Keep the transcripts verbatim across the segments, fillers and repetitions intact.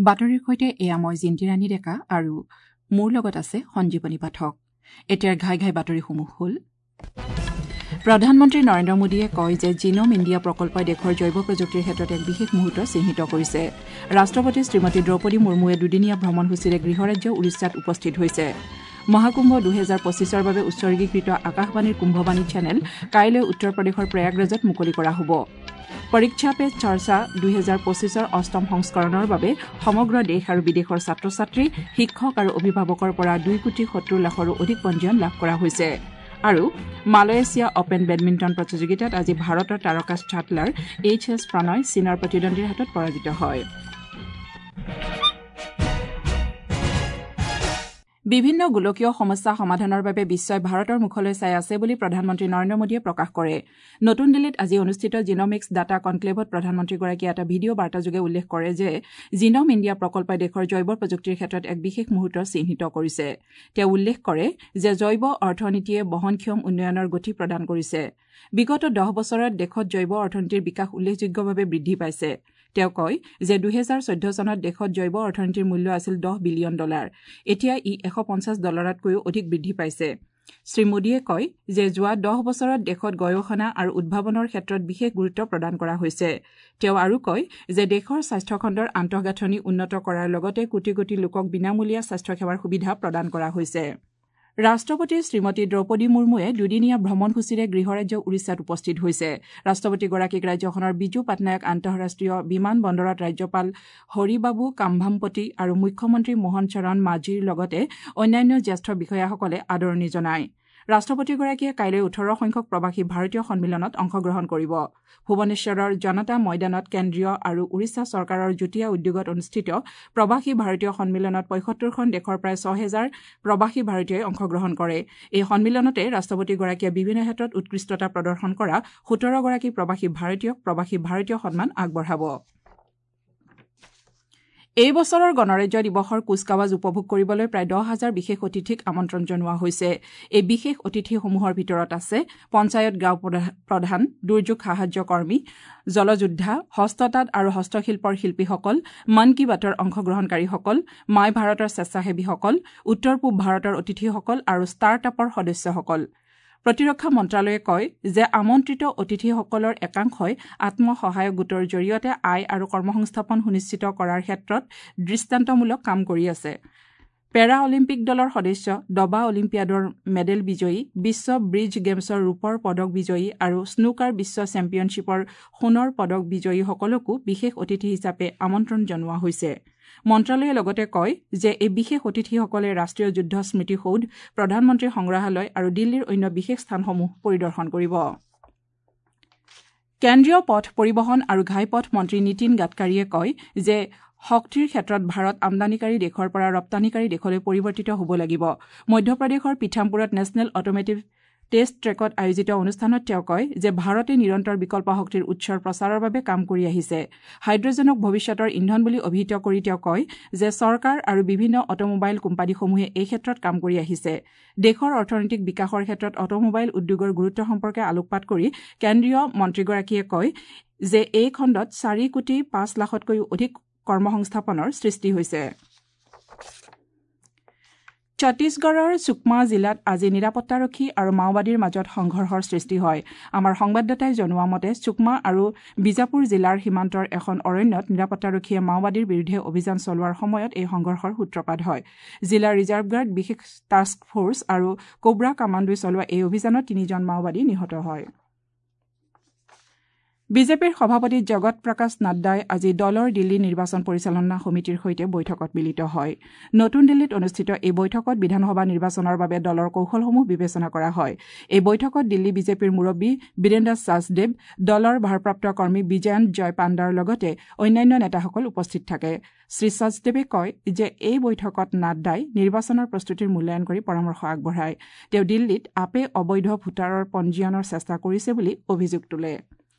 বাতৰিৰ সৈতে এয়া মই জিন্তিৰাণী ডেকা আৰু মোৰ লগত আছে সঞ্জীৱনী পাঠক। এতিয়াৰ ঘাই ঘাই বাতৰিসমূহ হ'ল: প্ৰধানমন্ত্ৰী নৰেন্দ্ৰ মোদীয়ে কয় যে জিনম ইণ্ডিয়া প্ৰকল্পই দেশৰ জৈৱ প্ৰযুক্তিৰ ক্ষেত্ৰত এক বিশেষ মুহূৰ্ত চিহ্নিত কৰিছে। ৰাষ্ট্ৰপতি শ্ৰীমতী দ্ৰৌপদী মুৰ্মুৱে দুদিনীয়া ভ্ৰমণসূচীৰে গৃহৰাজ্য উৰিষ্যাত উপস্থিত হৈছে। মহাকুম্ভ দুহেজাৰ পঁচিছৰ বাবে উৎসৰ্গীকৃত আকাশবাণীৰ কুম্ভবাণী চেনেল কাইলৈ উত্তৰ প্ৰদেশৰ প্ৰয়াগৰাজত মুকলি কৰা হ'ব। পৰীক্ষা পে চৰ্চা দুহেজাৰ পঁচিছৰ অষ্টম সংস্কৰণৰ বাবে সমগ্ৰ দেশ আৰু বিদেশৰ ছাত্ৰ ছাত্ৰী, শিক্ষক আৰু অভিভাৱকৰ পৰা দুই কোটি সত্তৰ লাখৰো অধিক পঞ্জীয়ন লাভ কৰা হৈছে। আৰু মালয়েছিয়া অপেন বেডমিণ্টন প্ৰতিযোগিতাত আজি ভাৰতৰ তাৰকা শ্বাটলাৰ এইচ এছ প্ৰণয় চীনৰ প্ৰতিদ্বন্দ্বীৰ হাতত পৰাজিত হয়। বিভিন্ন গোলকীয় সমস্যা সমাধানৰ বাবে বিশ্বই ভাৰতৰ মুখলৈ চাই আছে বুলি প্ৰধানমন্ত্ৰী নৰেন্দ্ৰ মোদীয়ে প্ৰকাশ কৰে। নতুন দিল্লীত আজি অনুষ্ঠিত জিনমিক্স ডাটা কনক্লেভত প্ৰধানমন্ত্ৰীগৰাকীয়ে এটা ভিডিঅ' বাৰ্তাযোগে উল্লেখ কৰে যে জিনম ইণ্ডিয়া প্ৰকল্পই দেশৰ জৈৱ প্ৰযুক্তিৰ ক্ষেত্ৰত এক বিশেষ মুহূৰ্ত চিহ্নিত কৰিছে। তেওঁ উল্লেখ কৰে যে জৈৱ অৰ্থনীতিয়ে বহনক্ষম উন্নয়নৰ গতি প্ৰদান কৰিছে। বিগত দহ বছৰত দেশত জৈৱ অৰ্থনীতিৰ বিকাশ উল্লেখযোগ্যভাৱে বৃদ্ধি পাইছে। তেওঁ কয় যে দুহেজাৰ চৈধ্য চনত দেশত জৈৱ অৰ্থনীতিৰ মূল্য আছিল দহ বিলিয়ন ডলাৰ, এতিয়া ই এশ পঞ্চাছ ডলাৰতকৈও অধিক বৃদ্ধি পাইছে। শ্ৰী মোদীয়ে কয় যে যোৱা দহ বছৰত দেশত গৱেষণা আৰু উদ্ভাৱনৰ ক্ষেত্ৰত বিশেষ গুৰুত্ব প্ৰদান কৰা হৈছে। তেওঁ আৰু কয় যে দেশৰ স্বাস্থ্যখণ্ডৰ আন্তঃগাঁথনি উন্নত কৰাৰ লগতে কোটি কোটি লোকক বিনামূলীয়া স্বাস্থ্যসেৱাৰ সুবিধা প্ৰদান কৰা হৈছে। ৰাষ্ট্ৰপতি শ্ৰীমতী দ্ৰৌপদী মুৰ্মুৱে দুদিনীয়া ভ্ৰমণসূচীৰে গৃহৰাজ্য উৰিষ্যাত উপস্থিত হৈছে। ৰাষ্ট্ৰপতিগৰাকীক ৰাজ্যখনৰ বিজু পাটনায়ক আন্তঃৰাষ্ট্ৰীয় বিমান বন্দৰত ৰাজ্যপাল হৰিবাবু কাম্ভামপতি আৰু মুখ্যমন্ত্ৰী মোহন চৰণ মাঝিৰ লগতে অন্যান্য জ্যেষ্ঠ বিষয়াসকলে আদৰণি জনায়। ৰাষ্ট্ৰপতিগৰাকীয়ে কাইলৈ ওঠৰ সংখ্যক প্ৰৱাসী ভাৰতীয় সন্মিলনত অংশগ্ৰহণ কৰিব। ভুৱনেশ্বৰৰ জনতা ময়দানত কেন্দ্ৰীয় আৰু উৰিষ্যা চৰকাৰৰ যুটীয়া উদ্যোগত অনুষ্ঠিত প্ৰৱাসী ভাৰতীয় সন্মিলনত পঁয়সত্তৰখন দেশৰ প্ৰায় ছহেজাৰ প্ৰৱাসী ভাৰতীয়ই অংশগ্ৰহণ কৰে। এই সন্মিলনতে ৰাষ্ট্ৰপতিগৰাকীয়ে বিভিন্ন ক্ষেত্ৰত উৎকৃষ্টতা প্ৰদৰ্শন কৰা সোতৰগৰাকী প্ৰৱাসী ভাৰতীয়ক প্ৰৱাসী ভাৰতীয় সন্মান আগবঢ়াব। এই বছৰৰ গণৰাজ্য দিৱসৰ কুচকাৱাজ উপভোগ কৰিবলৈ প্ৰায় দহ হাজাৰ বিশেষ অতিথিক আমন্ত্ৰণ জনোৱা হৈছে। এই বিশেষ অতিথিসমূহৰ ভিতৰত আছে পঞ্চায়ত গাঁও প্ৰধান, দুৰ্যোগ সাহায্য কৰ্মী, জলযোদ্ধা, হস্ততাঁত আৰু হস্তশিল্পৰ শিল্পীসকল, মন কী বাতৰ অংশগ্ৰহণকাৰীসকল, মাই ভাৰতৰ স্বেচ্ছাসেৱীসকল, উত্তৰ পূব ভাৰতৰ অতিথিসকল আৰু ষ্টাৰ্ট আপৰ সদস্যসকল। প্ৰতিৰক্ষা মন্ত্ৰালয়ে কয় যে আমন্ত্ৰিত অতিথিসকলৰ একাংশই আত্মসহায়ক গোটৰ জৰিয়তে আয় আৰু কৰ্মসংস্থাপন সুনিশ্চিত কৰাৰ ক্ষেত্ৰত দৃষ্টান্তমূলক কাম কৰি আছে। পেৰা অলিম্পিক দলৰ সদস্য, দবা অলিম্পিয়াডৰ মেডেল বিজয়ী, বিশ্ব ব্ৰিজ গেমছৰ ৰূপৰ পদক বিজয়ী আৰু স্নুকাৰ বিশ্ব চেম্পিয়নশ্বিপৰ সোণৰ পদক বিজয়ীসকলকো বিশেষ অতিথি হিচাপে আমন্ত্ৰণ জনোৱা হৈছে। মন্ত্ৰালয়ে লগতে কয় যে এই বিশেষ অতিথিসকলে ৰাষ্ট্ৰীয় যুদ্ধ স্মৃতিসৌধ, প্ৰধানমন্ত্ৰী সংগ্ৰহালয় আৰু দিল্লীৰ অন্য বিশেষ স্থানসমূহ পৰিদৰ্শন কৰিব। কেন্দ্ৰীয় পথ পৰিবহণ আৰু ঘাইপথ মন্ত্ৰী নীতিন গাডকাৰীয়ে কয় যে শক্তিৰ ক্ষেত্ৰত ভাৰত আমদানিকাৰী দেশৰ পৰা ৰপ্তানিকাৰী দেশলৈ পৰিৱৰ্তিত হ'ব লাগিব। মধ্যপ্ৰদেশৰ পিথামপুৰত নেশ্যনেল অট'মেটিভ টেষ্ট ট্ৰেকত আয়োজিত অনুষ্ঠানত তেওঁ কয় যে ভাৰতে নিৰন্তৰ বিকল্প শক্তিৰ উৎসৰ প্ৰচাৰৰ বাবে কাম কৰি আহিছে। হাইড্ৰজেনক ভৱিষ্যতৰ ইন্ধন বুলি অভিহিত কৰি তেওঁ কয় যে চৰকাৰ আৰু বিভিন্ন অট'মোবাইল কোম্পানীসমূহে এই ক্ষেত্ৰত কাম কৰি আহিছে। দেশৰ অৰ্থনৈতিক বিকাশৰ ক্ষেত্ৰত অট'মোবাইল উদ্যোগৰ গুৰুত্ব সম্পৰ্কে আলোকপাত কৰি কেন্দ্ৰীয় মন্ত্ৰীগৰাকীয়ে কয় যে এই খণ্ডত চাৰি কোটি পাঁচ লাখতকৈও অধিক কৰ্মসংস্থাপনৰ সৃষ্টি হৈছে। ছত্তীশগড়ৰ চুকমা জিলাত আজি নিৰাপত্তাৰক্ষী আৰু মাওবাদীৰ মাজত সংঘৰ্ষৰ সৃষ্টি হয়। আমাৰ সংবাদদাতাই জনোৱা মতে চুকমা আৰু বিজাপুৰ জিলাৰ সীমান্তৰ এখন অৰণ্যত নিৰাপত্তাৰক্ষীয়ে মাওবাদীৰ বিৰুদ্ধে অভিযান চলোৱাৰ সময়ত এই সংঘৰ্ষৰ সূত্ৰপাত হয়। জিলা ৰিজাৰ্ভ গাৰ্ড, বিশেষ টাস্ক ফ'ৰ্চ আৰু কোব্ৰা কামাণ্ডোই চলোৱা এই অভিযানত তিনিজন মাওবাদী নিহত হয়। বিজেপিৰ সভাপতি জগত প্ৰকাশ নাড্ডাই আজি দলৰ দিল্লী নিৰ্বাচন পৰিচালনা সমিতিৰ সৈতে বৈঠকত মিলিত হয়। নতুন দিল্লীত অনুষ্ঠিত এই বৈঠকত বিধানসভা নিৰ্বাচনৰ বাবে দলৰ কৌশলসমূহ বিবেচনা কৰা হয়। এই বৈঠকত দিল্লী বিজেপিৰ মুৰব্বী বীৰেন্দ্ৰ সাচদেৱ, দলৰ ভাৰপ্ৰাপ্ত কৰ্মী বিজয়ন্ত জয় পাণ্ডাৰ লগতে অন্যান্য নেতাসকল উপস্থিত থাকে। শ্ৰী সাচদেৱে কয় যে এই বৈঠকত নাড্ডাই নিৰ্বাচনৰ প্ৰস্তুতিৰ মূল্যায়ন কৰি পৰামৰ্শ আগবঢ়ায়। তেওঁ দিল্লীত আপে অবৈধ ভোটাৰৰ পঞ্জীয়নৰ চেষ্টা কৰিছে বুলি অভিযোগ তোলে।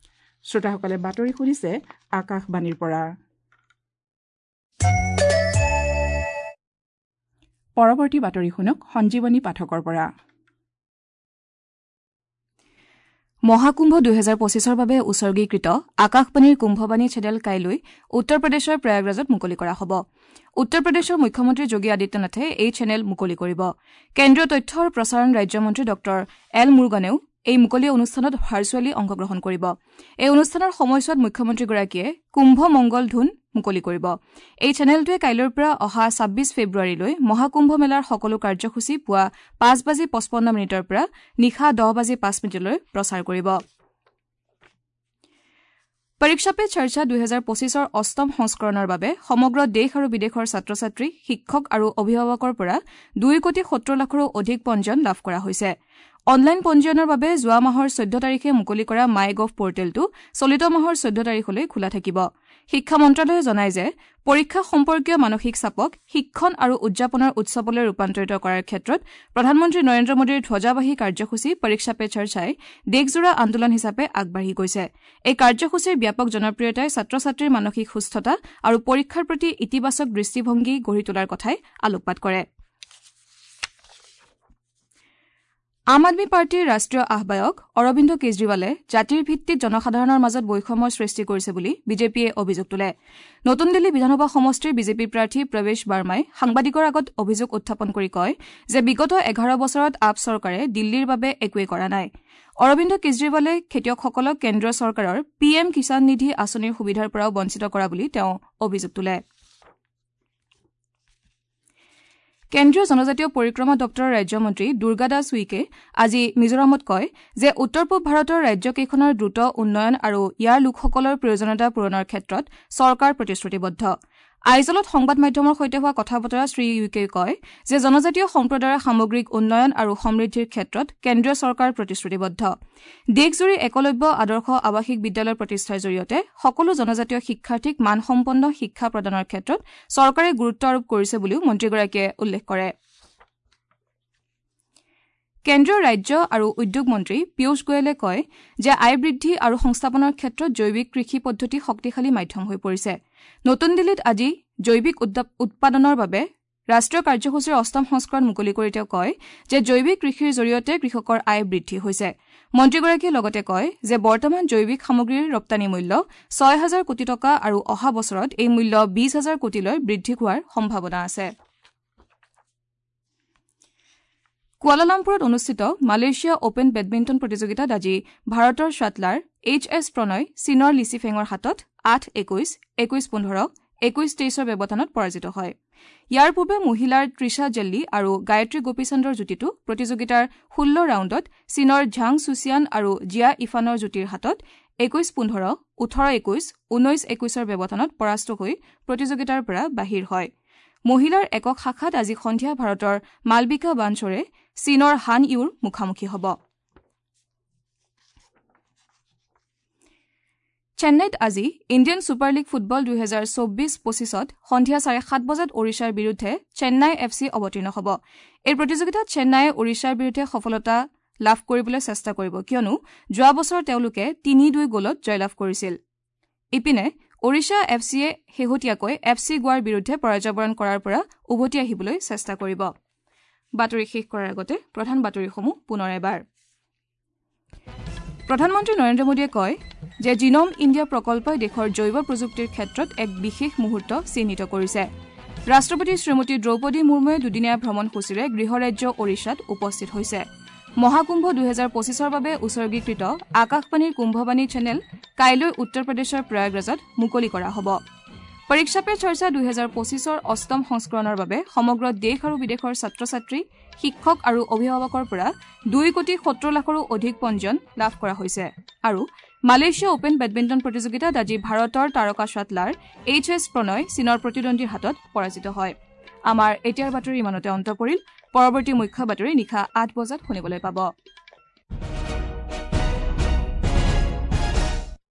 শ্ৰোতাসকলে বাতৰি শুনিছে আকাশবাণীৰ পৰা। পৰৱৰ্তী বাতৰি শুনক সঞ্জীৱনী পাঠকৰ পৰা। মহাকুম্ভ দুহেজাৰ পঁচিছৰ বাবে উৎসৰ্গীকৃত আকাশবাণীৰ কুম্ভবাণী চেনেল কাইলৈ উত্তৰ প্ৰদেশৰ প্ৰয়াগৰাজত মুকলি কৰা হ'ব। উত্তৰ প্ৰদেশৰ মুখ্যমন্ত্ৰী যোগী আদিত্যনাথে এই চেনেল মুকলি কৰিব। কেন্দ্ৰীয় তথ্য আৰু প্ৰসাৰণ ৰাজ্যমন্ত্ৰী ডঃ এল মুৰুগানেও এই মুকলি অনুষ্ঠানত ভাৰ্চুৱেলি অংশগ্ৰহণ কৰিব। এই অনুষ্ঠানৰ সময়ছোৱাত মুখ্যমন্ত্ৰীগৰাকীয়ে কুম্ভ মংগল ধুন মুকলি কৰিব। এই চেনেলটোৱে কাইলৈৰ পৰা অহা ছাব্বিছ ফেব্ৰুৱাৰীলৈ মহাকুম্ভ মেলাৰ সকলো কাৰ্যসূচী পুৱা পাঁচ বাজি পঁচপন্ন মিনিটৰ পৰা নিশা দহ বাজি পাঁচ মিনিটলৈ প্ৰচাৰ কৰিব। পৰীক্ষা পে চৰ্চা দুহেজাৰ পঁচিছৰ অষ্টম সংস্কৰণৰ বাবে সমগ্ৰ দেশ আৰু বিদেশৰ ছাত্ৰ ছাত্ৰী, শিক্ষক আৰু অভিভাৱকৰ পৰা দুই কোটি সত্তৰ লাখৰো অধিক পঞ্জীয়ন লাভ কৰা হৈছে। অনলাইন পঞ্জীয়নৰ বাবে যোৱা মাহৰ চৈধ্য তাৰিখে মুকলি কৰা মাই গভ পৰ্টেলটো চলিত মাহৰ চৈধ্য তাৰিখলৈ খোলা থাকিব। শিক্ষা মন্ত্ৰালয়ে জনায় যে পৰীক্ষা সম্পৰ্কীয় মানসিক চাপক শিক্ষণ আৰু উদযাপনৰ উৎসৱলৈ ৰূপান্তৰিত কৰাৰ ক্ষেত্ৰত প্ৰধানমন্ত্ৰী নৰেন্দ্ৰ মোদীৰ ধ্বজাবাহী কাৰ্যসূচী পৰীক্ষা পে চৰ্চাই দেশজোৰা আন্দোলন হিচাপে আগবাঢ়ি গৈছে। এই কাৰ্যসূচীৰ ব্যাপক জনপ্ৰিয়তাই ছাত্ৰ ছাত্ৰীৰ মানসিক সুস্থতা আৰু পৰীক্ষাৰ প্ৰতি ইতিবাচক দৃষ্টিভংগী গঢ়ি তোলাৰ কথাই আলোকপাত কৰে। আম আদমী পাৰ্টীৰ ৰাষ্ট্ৰীয় আহ্বায়ক অৰবিন্দ কেজৰিৱালে জাতিৰ ভিত্তিত জনসাধাৰণৰ মাজত বৈষম্যৰ সৃষ্টি কৰিছে বুলি বিজেপিয়ে অভিযোগ তোলে। নতুন দিল্লী বিধানসভা সমষ্টিৰ বিজেপি প্ৰাৰ্থী প্ৰৱেশ বাৰ্মাই সাংবাদিকৰ আগত অভিযোগ উত্থাপন কৰি কয় যে বিগত এঘাৰ বছৰত আপ চৰকাৰে দিল্লীৰ বাবে একোৱেই কৰা নাই। অৰবিন্দ কেজৰিৱালে খেতিয়কসকলক কেন্দ্ৰীয় চৰকাৰৰ পি এম কিষাণ নিধি আঁচনিৰ সুবিধাৰ পৰাও বঞ্চিত কৰা বুলি তেওঁ অভিযোগ তোলে। কেন্দ্ৰীয় জনজাতীয় পৰিক্ৰমা দপ্তৰৰ ৰাজ্যমন্ত্ৰী দুৰ্গা দাস উইকে আজি মিজোৰামত কয় যে উত্তৰ পূব ভাৰতৰ ৰাজ্যকেইখনৰ দ্ৰুত উন্নয়ন আৰু ইয়াৰ লোকসকলৰ প্ৰয়োজনীয়তা পূৰণৰ ক্ষেত্ৰত চৰকাৰ প্ৰতিশ্ৰুতিবদ্ধ। আইজলত সংবাদ মাধ্যমৰ সৈতে হোৱা কথা বতৰা শ্ৰী উইকে কয় যে জনজাতীয় সম্প্ৰদায়ৰ সামগ্ৰিক উন্নয়ন আৰু সমৃদ্ধিৰ ক্ষেত্ৰত কেন্দ্ৰীয় চৰকাৰ প্ৰতিশ্ৰুতিবদ্ধ। দেশজুৰি একলব্য আদৰ্শ আৱাসিক বিদ্যালয় প্ৰতিষ্ঠাৰ জৰিয়তে সকলো জনজাতীয় শিক্ষাৰ্থীক মানসম্পন্ন শিক্ষা প্ৰদানৰ ক্ষেত্ৰত চৰকাৰে গুৰুত্ব আৰোপ কৰিছে বুলিও মন্ত্ৰীগৰাকীয়ে উল্লেখ কৰে। কেন্দ্ৰীয় ৰাজ্য আৰু উদ্যোগ মন্ত্ৰী পীয়ুষ গোৱেলে কয় যে আয় বৃদ্ধি আৰু সংস্থাপনৰ ক্ষেত্ৰত জৈৱিক কৃষি পদ্ধতি শক্তিশালী মাধ্যম হৈ পৰিছে। নতুন দিল্লীত আজি জৈৱিক উৎপাদনৰ বাবে ৰাষ্ট্ৰীয় কাৰ্যসূচীৰ অষ্টম সংস্কৰণ মুকলি কৰি তেওঁ কয় যে জৈৱিক কৃষিৰ জৰিয়তে কৃষকৰ আয় বৃদ্ধি হৈছে। মন্ত্ৰীগৰাকীয়ে লগতে কয় যে বৰ্তমান জৈৱিক সামগ্ৰীৰ ৰপ্তানি মূল্য ছয় হাজাৰ কোটি টকা আৰু অহা বছৰত এই মূল্য বিশ হাজাৰ কোটিলৈ বৃদ্ধি হোৱাৰ সম্ভাৱনা আছে। কুৱালালামপুৰত অনুষ্ঠিত মালয়েছিয়া অপেন বেডমিণ্টন প্ৰতিযোগিতাত আজি ভাৰতৰ শ্বাটলাৰ এইচ এছ প্ৰণয় চীনৰ লিচি ফেঙৰ হাতত আঠ একৈশ, একৈশ পোন্ধৰ, একৈশ তেইছৰ ব্যৱধানত পৰাজিত হয়। ইয়াৰ পূৰ্বে মহিলাৰ তৃষা জেল্লী আৰু গায়ত্ৰী গোপীচন্দৰ যুটীটো প্ৰতিযোগিতাৰ ষোল্ল ৰাউণ্ডত চীনৰ ঝাং চুচিয়ান আৰু জিয়া ইফানৰ যুটীৰ হাতত একৈশ পোন্ধৰ, ওঠৰ একৈশ, ঊনৈশ একৈশৰ ব্যৱধানত পৰাস্ত হৈ প্ৰতিযোগিতাৰ পৰা বাহিৰ হয়। মহিলাৰ একক শাখাত আজি সন্ধিয়া ভাৰতৰ মালবিকা বানছৰে চীনৰ হান ইউৰ মুখামুখি হ'ব। চেন্নাইত আজি ইণ্ডিয়ান ছুপাৰ লীগ ফুটবল দুহেজাৰ চৌব্বিছ পঁচিছত সন্ধিয়া চাৰে সাত বজাত ওড়িশাৰ বিৰুদ্ধে চেন্নাই এফ চি অৱতীৰ্ণ হ'ব। এই প্ৰতিযোগিতাত চেন্নাইয়ে ওড়িশাৰ বিৰুদ্ধে সফলতা লাভ কৰিবলৈ চেষ্টা কৰিব, কিয়নো যোৱা বছৰ তেওঁলোকে তিনি দুই গ'লত জয়লাভ কৰিছিল। ইপিনে ওড়িশা এফ চিয়ে শেহতীয়াকৈ এফ চি গোৱাৰ বিৰুদ্ধে পৰাজয়বৰণ কৰাৰ পৰা উভতি আহিবলৈ চেষ্টা কৰিব। বাতৰি শেষ কৰাৰ আগতে প্ৰধান বাতৰিসমূহ পুনৰ এবাৰ। প্ৰধানমন্ত্ৰী নৰেন্দ্ৰ মোদীয়ে কয় যে জিনম ইণ্ডিয়া প্ৰকল্পই দেশৰ জৈৱ প্ৰযুক্তিৰ ক্ষেত্ৰত এক বিশেষ মুহূৰ্ত চিহ্নিত কৰিছে। ৰাষ্ট্ৰপতি শ্ৰীমতী দ্ৰৌপদী মুৰ্মুৱে দুদিনীয়া ভ্ৰমণসূচীৰে গৃহৰাজ্য ওড়িশাত উপস্থিত হৈছে। মহাকুম্ভ দুহেজাৰ পঁচিছৰ বাবে উৎসৰ্গীকৃত আকাশবাণীৰ কুম্ভবাণী চেনেল কাইলৈ উত্তৰ প্ৰদেশৰ প্ৰয়াগৰাজত মুকলি কৰা হ'ব। পৰীক্ষা পে চৰ্চা দুহেজাৰ পঁচিছৰ অষ্টম সংস্কৰণৰ বাবে সমগ্ৰ দেশ আৰু বিদেশৰ ছাত্ৰ ছাত্ৰী, শিক্ষক আৰু অভিভাৱকৰ পৰা দুই কোটি সত্তৰ লাখৰো অধিক পঞ্জীয়ন লাভ কৰা হৈছে। আৰু মালয়েছিয়া অপেন বেডমিণ্টন প্ৰতিযোগিতাত আজি ভাৰতৰ তাৰকা শ্বাটলাৰ এইচ এছ প্ৰণয় চীনৰ প্ৰতিদ্বন্দ্বীৰ হাতত পৰাজিত হয়। আমাৰ এতিয়াৰ বাতৰি ইমানতে অন্ত পৰিল। পৰৱৰ্তী মুখ্য বাতৰি নিশা আঠ বজাত শুনিবলৈ পাব।